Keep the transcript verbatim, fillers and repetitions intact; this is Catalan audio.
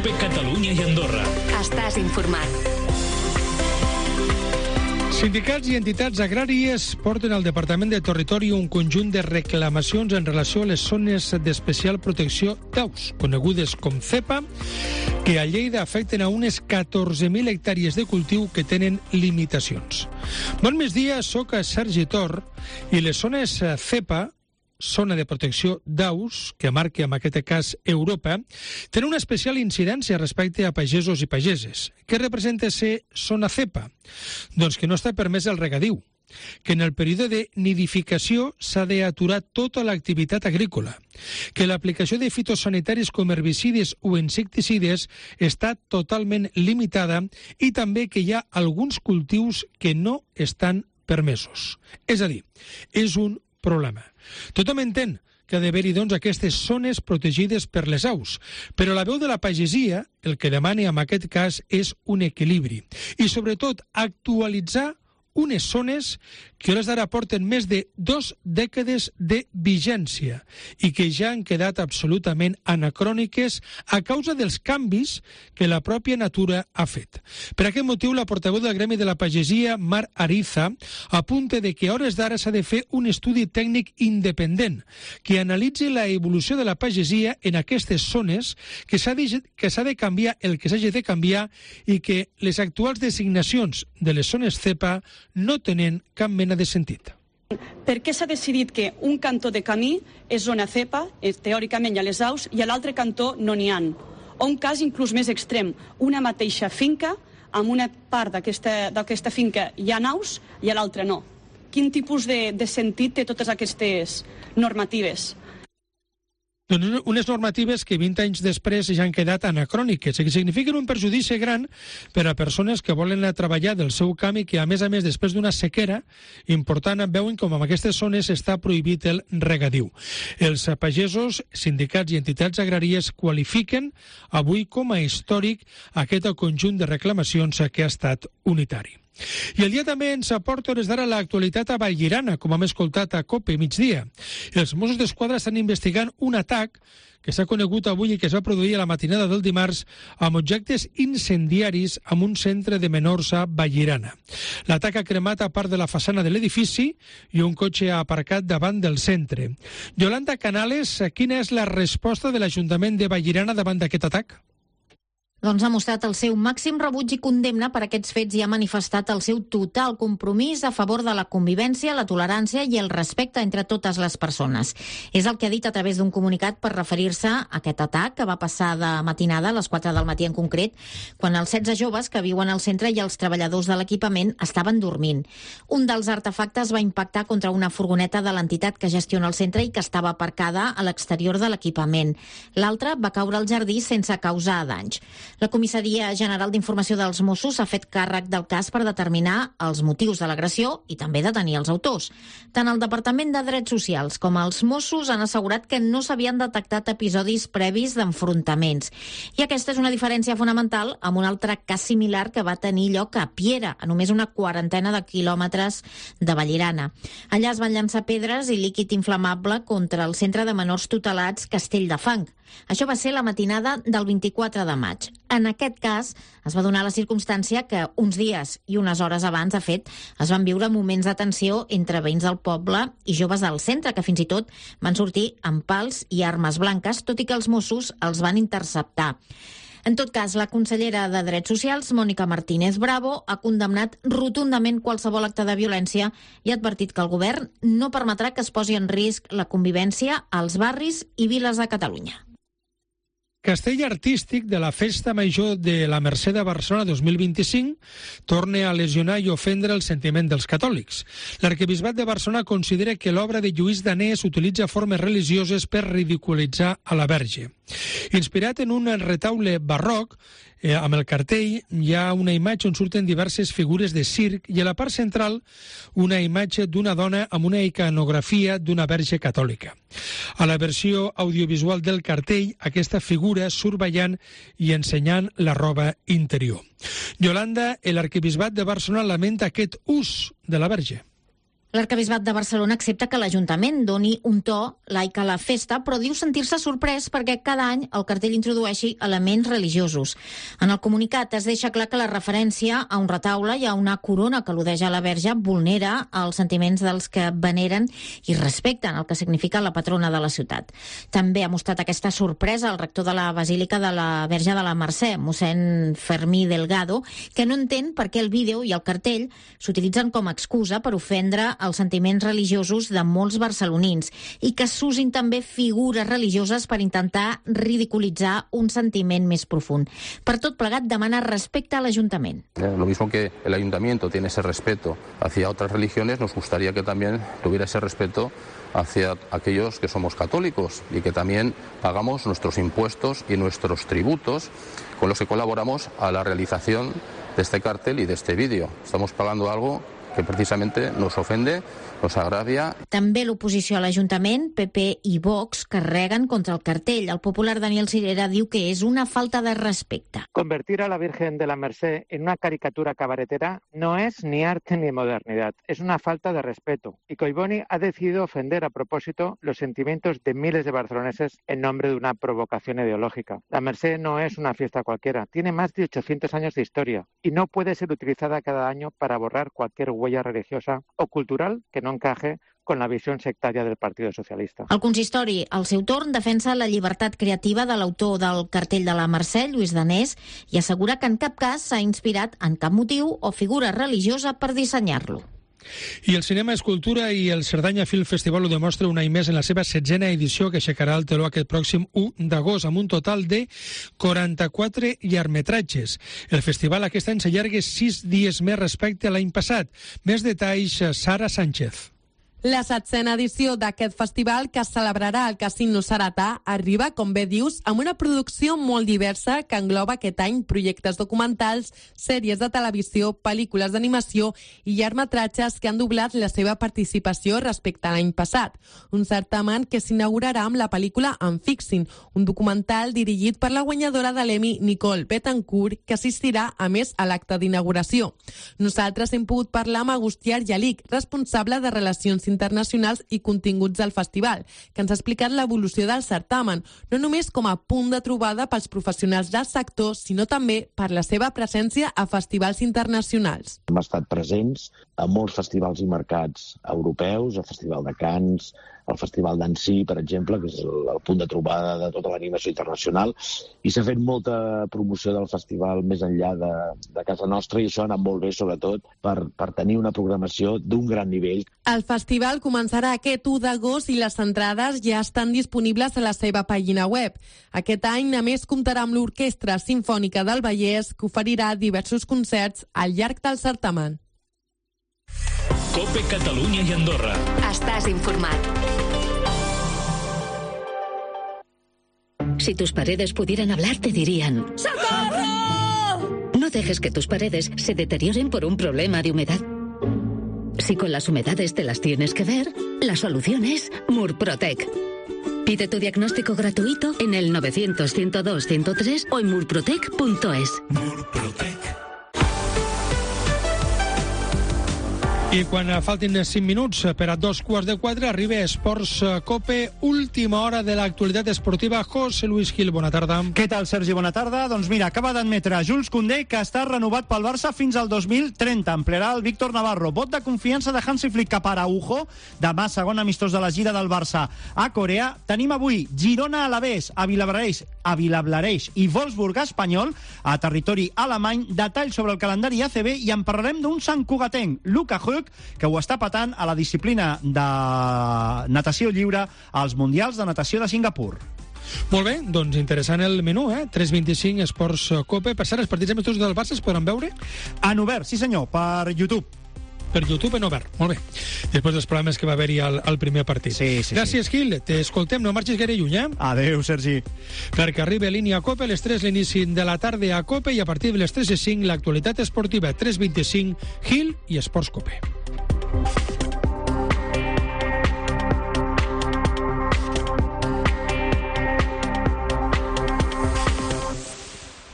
COPE Catalunya i Andorra. Estàs informat. Sindicats i entitats agràries porten al Departament de Territori un conjunt de reclamacions en relació a les zones d'especial protecció d'aus, conegudes com CEPA, que a Lleida afecten a unes catorze mil hectàrees de cultiu que tenen limitacions. Bon migdia, soc a Sergi Tor i les zones CEPA, zona de protecció d'aus, que marca en aquest cas Europa, tenen una especial incidència respecte a pagesos i pageses. Què representa ser zona CEPA? Doncs que no està permès el regadiu, que en el període de nidificació s'ha d'aturar tota l'activitat agrícola, que l'aplicació de fitosanitaris com herbicides o insecticides està totalment limitada i també que hi ha alguns cultius que no estan permesos. És a dir, és un problema. Tothom entén que ha d'haver-hi doncs, aquestes zones protegides per les aus, però la veu de la pagesia el que demana en aquest cas és un equilibri i sobretot actualitzar unes zones que a hores d'ara porten més de dues dècades de vigència i que ja han quedat absolutament anacròniques a causa dels canvis que la pròpia natura ha fet. Per aquest motiu, la portaveu del Gremi de la Pagesia, Mar Ariza, apunta de que a hores d'ara s'ha de fer un estudi tècnic independent que analitzi la evolució de la pagesia en aquestes zones, que s'ha de, que s'ha de canviar el que s'hagi de canviar i que les actuals designacions de les zones CEPA no tenen cap mena de sentit. Per què s'ha decidit que un cantó de camí és zona CEPA, teòricament hi ha les aus, i a l'altre cantó no n'hi ha? O un cas inclús més extrem, una mateixa finca, amb una part d'aquesta finca hi ha aus i a l'altra no. Quin tipus de, de sentit té totes aquestes normatives? Doncs unes normatives que vint anys després ja han quedat anacròniques i que signifiquen un perjudici gran per a persones que volen anar a treballar del seu camp i que, a més a més, després d'una sequera important, veuen com en aquestes zones està prohibit el regadiu. Els pagesos, sindicats i entitats agràries qualifiquen avui com a històric aquest conjunt de reclamacions que ha estat unitari. I el dia també ens aporta hores d'ara l'actualitat a Vallirana, com hem escoltat a COPE migdia. Els Mossos d'Esquadra estan investigant un atac que s'ha conegut avui i que es va produir a la matinada del dimarts amb objectes incendiaris en un centre de menors a Vallirana. L'atac ha cremat a part de la façana de l'edifici i un cotxe ha aparcat davant del centre. Yolanda Canales, quina és la resposta de l'Ajuntament de Vallirana davant d'aquest atac? Doncs ha mostrat el seu màxim rebuig i condemna per aquests fets i ha manifestat el seu total compromís a favor de la convivència, la tolerància i el respecte entre totes les persones. És el que ha dit a través d'un comunicat per referir-se a aquest atac que va passar de matinada, a les quatre del matí en concret, quan els setze joves que viuen al centre i els treballadors de l'equipament estaven dormint. Un dels artefactes va impactar contra una furgoneta de l'entitat que gestiona el centre i que estava aparcada a l'exterior de l'equipament. L'altre va caure al jardí sense causar danys. La Comissaria General d'Informació dels Mossos ha fet càrrec del cas per determinar els motius de l'agressió i també detenir els autors. Tant el Departament de Drets Socials com els Mossos han assegurat que no s'havien detectat episodis previs d'enfrontaments. I aquesta és una diferència fonamental amb un altre cas similar que va tenir lloc a Piera, a només una quarantena de quilòmetres de Vallirana. Allà es van llançar pedres i líquid inflamable contra el centre de menors tutelats Castell de Fang. Això va ser la matinada del vint-i-quatre de maig. En aquest cas, es va donar la circumstància que uns dies i unes hores abans, de fet, es van viure moments de tensió entre veïns del poble i joves del centre, que fins i tot van sortir amb pals i armes blanques, tot i que els Mossos els van interceptar. En tot cas, la consellera de Drets Socials, Mònica Martínez Bravo, ha condemnat rotundament qualsevol acte de violència i ha advertit que el govern no permetrà que es posi en risc la convivència als barris i viles de Catalunya. Castell artístic de la Festa Major de la Mercè de Barcelona dos mil vint-i-cinc torna a lesionar i ofendre el sentiment dels catòlics. L'Arquebisbat de Barcelona considera que l'obra de Lluís Danés utilitza formes religioses per ridiculitzar a la Verge. Inspirat en un retaule barroc, eh, amb el cartell hi ha una imatge on surten diverses figures de circ i a la part central una imatge d'una dona amb una iconografia d'una verge catòlica. A la versió audiovisual del cartell, aquesta figura surt ballant i ensenyant la roba interior. Yolanda, l'arquebisbat de Barcelona lamenta aquest ús de la verge. L'arquebisbat de Barcelona accepta que l'Ajuntament doni un to laic a la festa, però diu sentir-se sorprès perquè cada any el cartell introdueixi elements religiosos. En el comunicat es deixa clar que la referència a un retaule i a una corona que al·ludeix a la Verge vulnera els sentiments dels que veneren i respecten el que significa la patrona de la ciutat. També ha mostrat aquesta sorpresa el rector de la Basílica de la Verge de la Mercè, mossèn Fermí Delgado, que no entén per què el vídeo i el cartell s'utilitzen com a excusa per ofendre els sentiments religiosos de molts barcelonins i que s'usin també figures religioses per intentar ridiculitzar un sentiment més profund. Per tot plegat, demana respecte a l'Ajuntament. Lo mismo que el Ayuntamiento tiene ese respeto hacia otras religiones, nos gustaría que también tuviera ese respeto hacia aquellos que somos católicos y que también pagamos nuestros impuestos y nuestros tributos con los que colaboramos a la realización de este cartel y de este vídeo. Estamos pagando algo que precisamente nos ofende, nos agravia. També l'oposició a l'Ajuntament, P P i Vox, carreguen contra el cartell. El popular Daniel Sirera diu que és una falta de respecte. Convertir a la Virgen de la Merced en una caricatura cabaretera no es ni arte ni modernidad, es una falta de respeto. Y Collboni ha decidido ofender a propósito los sentimientos de miles de barceloneses en nombre de una provocación ideológica. La Merced no es una fiesta cualquiera, tiene más de ochocientos años de historia y no puede ser utilizada cada año para borrar cualquier huella religiosa o cultural que no encaje con la visió sectària del Partit Socialista. El consistori, al seu torn, defensa la llibertat creativa de l'autor del cartell de la Mercè, Lluís Danés, i assegura que en cap cas s'ha inspirat en cap motiu o figura religiosa per dissenyar-lo. I el cinema és cultura i el Cerdanya Film Festival ho demostra un any més en la seva setzena edició que aixecarà el teló aquest pròxim u d'agost amb un total de quaranta-quatre llargmetratges. El festival aquest any s'allarga sis dies més respecte a l'any passat. Més detalls, Sara Sánchez. La setzena edició d'aquest festival, que es celebrarà al Casino Saratà, arriba, com bé dius, amb una producció molt diversa que engloba aquest any projectes documentals, sèries de televisió, pel·lícules d'animació i llargmetratges que han doblat la seva participació respecte a l'any passat. Un certamen que s'inaugurarà amb la pel·lícula Unfixing, un documental dirigit per la guanyadora de l'Emmy Nicole Betancourt, que assistirà a més a l'acte d'inauguració. Nosaltres hem pogut parlar amb Agustí Argelic, responsable de Relacions Internacionals i Continguts del festival, que ens ha explicat l'evolució del certamen, no només com a punt de trobada pels professionals del sector, sinó també per la seva presència a festivals internacionals. Hem estat presents a molts festivals i mercats europeus, el Festival de Cannes, el Festival d'Annecy, per exemple, que és el, el punt de trobada de tota l'animació internacional, i s'ha fet molta promoció del festival més enllà de, de casa nostra, i això ha anat molt bé, sobretot, per, per tenir una programació d'un gran nivell. El festival començarà aquest u d'agost i les entrades ja estan disponibles a la seva pàgina web. Aquest any, a més, comptarà amb l'Orquestra Simfònica del Vallès, que oferirà diversos concerts al llarg del certamen. COPE Catalunya i Andorra. Estàs informat. Si tus paredes pudieran hablar, te dirían: ¡Socorro! No dejes que tus paredes se deterioren por un problema de humedad. Si con las humedades te las tienes que ver, la solución es Murprotec. Pide tu diagnóstico gratuito en el novecientos, ciento dos, ciento tres o en murprotec punto es. Murprotec. I quan faltin cinc minuts per a dos quarts de quatre, arriba Esports Cope, última hora de l'actualitat esportiva. José Luis Gil, bona tarda. Què tal, Sergi? Bona tarda. Doncs mira, acaba d'admetre Jules Koundé que està renovat pel Barça fins al dos mil trenta. Emplearà el Víctor Navarro. Vot de confiança de Hansi Flick cap a Araujo. Demà, segon amistós de la gira del Barça a Corea. Tenim avui Girona Alavés, a Vilablareix, a Vilablareix i Wolfsburg Espanyol, a territori alemany. Detalls sobre el calendari A C B i en parlarem d'un santcugatenc, Luca Höck, que ho està patant a la disciplina de natació lliure als Mundials de Natació de Singapur. Molt bé, doncs interessant el menú, eh? tres vint-i-cinc Esports Cope. Per cert, els partits amistosos del Barça es podran veure? En obert, sí senyor, per YouTube. Per YouTube en obert, molt bé. Després dels problemes que va haver-hi al, al primer partit. Sí, sí, Gràcies, sí. Gil. T'escoltem, no marxis gaire lluny, eh? Adéu, Sergi. Perquè arriba línia Cope, a les tres l'inici de la tarda a Cope i a partir de les tres i cinc l'actualitat esportiva. tres vint-i-cinc, Gil i Esports Cope.